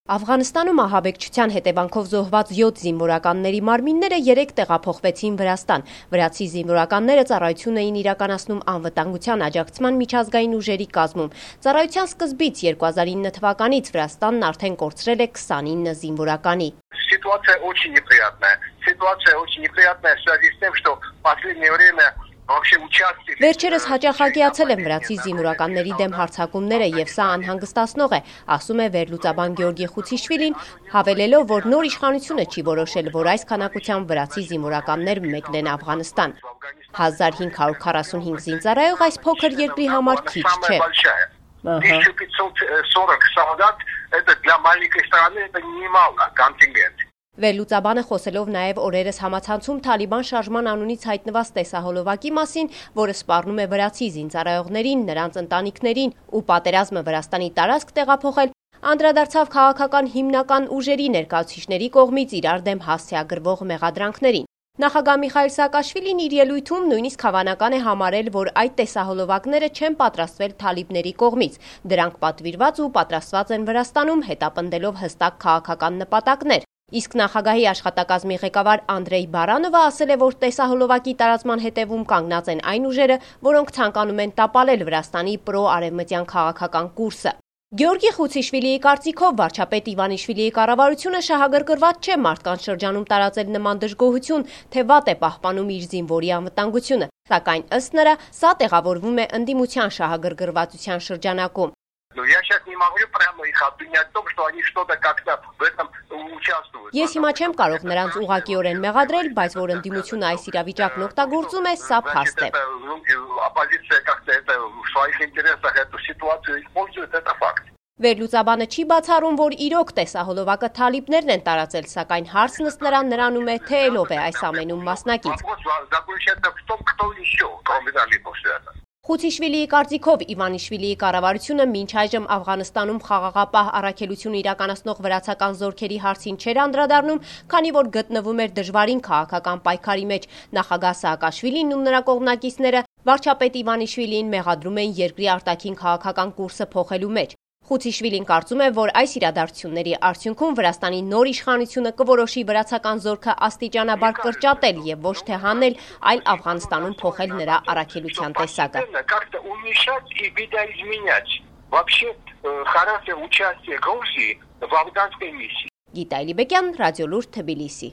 Աֆղանստանում ահաբեկչության հետևանքով զոհված 7 զինվորականների մարմինները 3 տեղափոխվեցին Վրաստան։ Վրացի զինվորականները ծառայություն էին իրականացնում անվտանգության աջակցման միջազգային ուժերի կազմում։ Ծառայության սկզբից 2009 թվականից Վրաստանն արդեն կորցրել է 29 զինվորականի։ Ситуация очень неприятная. Ситуация очень неприятная в связи с тем, что в последнее время Վերջերս հաճախակիացել են վրացի զինվորականների դեմ հարձակումները եւ սա անհանգստացնող է, ասում է վերլուծաբան Գեորգի Խուցիշվիլին, հավելելով, որ նոր իշխանությունը չի որոշել, որ այս քանակությամբ վրացի զինվորականներ մեկնեն Աֆղանստան։ 1545 զինծառայող այս փոքր երկրի համար քիչ չէ։ 1540 солдат это для маленькой страны это немало контингент. Վերլուծաբանը խոսելով նաև օրերս համացանցում Թալիբան շարժման անունից հայտնված տեսահոլովակի մասին, որը սպառնում է վրացի զինծառայողներին, նրանց ընտանիքներին ու պատերազմը Վրաստանի տարածք տեղափոխել, անդրադարձավ քաղաքական հիմնական ուժերի ներկայացուցիչների կողմից իրար դեմ հասցեագրվող մեղադրանքներին։ Նախագահ Միխայիլ Սաակաշվիլին իր ելույթում նույնիսկ հավանական է համարել, որ այդ տեսահոլովակները չեն պատրաստվել թալիբների կողմից, դրանք պատվիրված ու պատրաստված են Վրաստանում, հետապնդելով հստակ քաղաքական նպատակներ։ Իսկ նախագահի աշխատակազմի ղեկավար Անդրեյ Բարանովը ասել է, որ տեսահոլովակի տարածման հետևում կանգնած են այն ուժերը, որոնք ցանկանում են տապալել Վրաստանի պրո-արևմտյան քաղաքական կուրսը։ Գեորգի Խուցիշվիլիի կարծիքով վարչապետ Իվանիշվիլիի կառավարությունը շահագրգռված չէ մարդկանց շրջանում տարածել նման դժգոհություն, թե вատ է պահպանում իր զինվորի անվտանգությունը, սակայն ըստ նրա սա տեղավորվում է ընդդիմության շահագրգռվածության շրջանակում։ Я сейчас не могу прямо их обвинять в том, что они что-то как-то в этом участвуют. Ես հիմա չեմ կարող նրանց ուղղակիորեն մեղադրել, բայց որ ընդդիմությունը այս իրավիճակն օգտագործում է, սա փաստ է։ Оппозиция как-то это в своих интересах эту ситуацию использует, это факт. Վերլուծաբանը չի бացառում, որ իրոք տեսահոլովակը թալիբներն են տարածել, սակայն հարցն ըստ նրանում է, թե ով է այս ամենում մասնակից։ Խուցիշվիլիի կարծիքով Իվանիշվիլիի կառավարությունը մինչ այժմ Աֆղանստանում խաղաղապահ առաքելություն իրականացնող վրացական զորքերի հարցին չէր անդրադառնում, քանի որ գտնվում էր դժվարին քաղաքական պայքարի մեջ։ Նախագահ Սաակաշվիլին ու նրա կողմնակիցները վարչապետ Իվանիշվիլիին մեղադրում են երկրի արտաքին քաղաքական կուրսը փոխելու մեջ։ Խուցիշվիլին կարծում է, որ այս իրադարձությունների արդյունքում Վրաստանի նոր իշխանությունը կորոշի վրացական զորքը աստիճանաբար կրճատել եւ ոչ թե հանել, այլ Աֆղանստանում փոխել նրա առաքելության տեսակը։ Գիտա Ալիբեկյան, Ռադիոլուրդ, Թբիլիսի։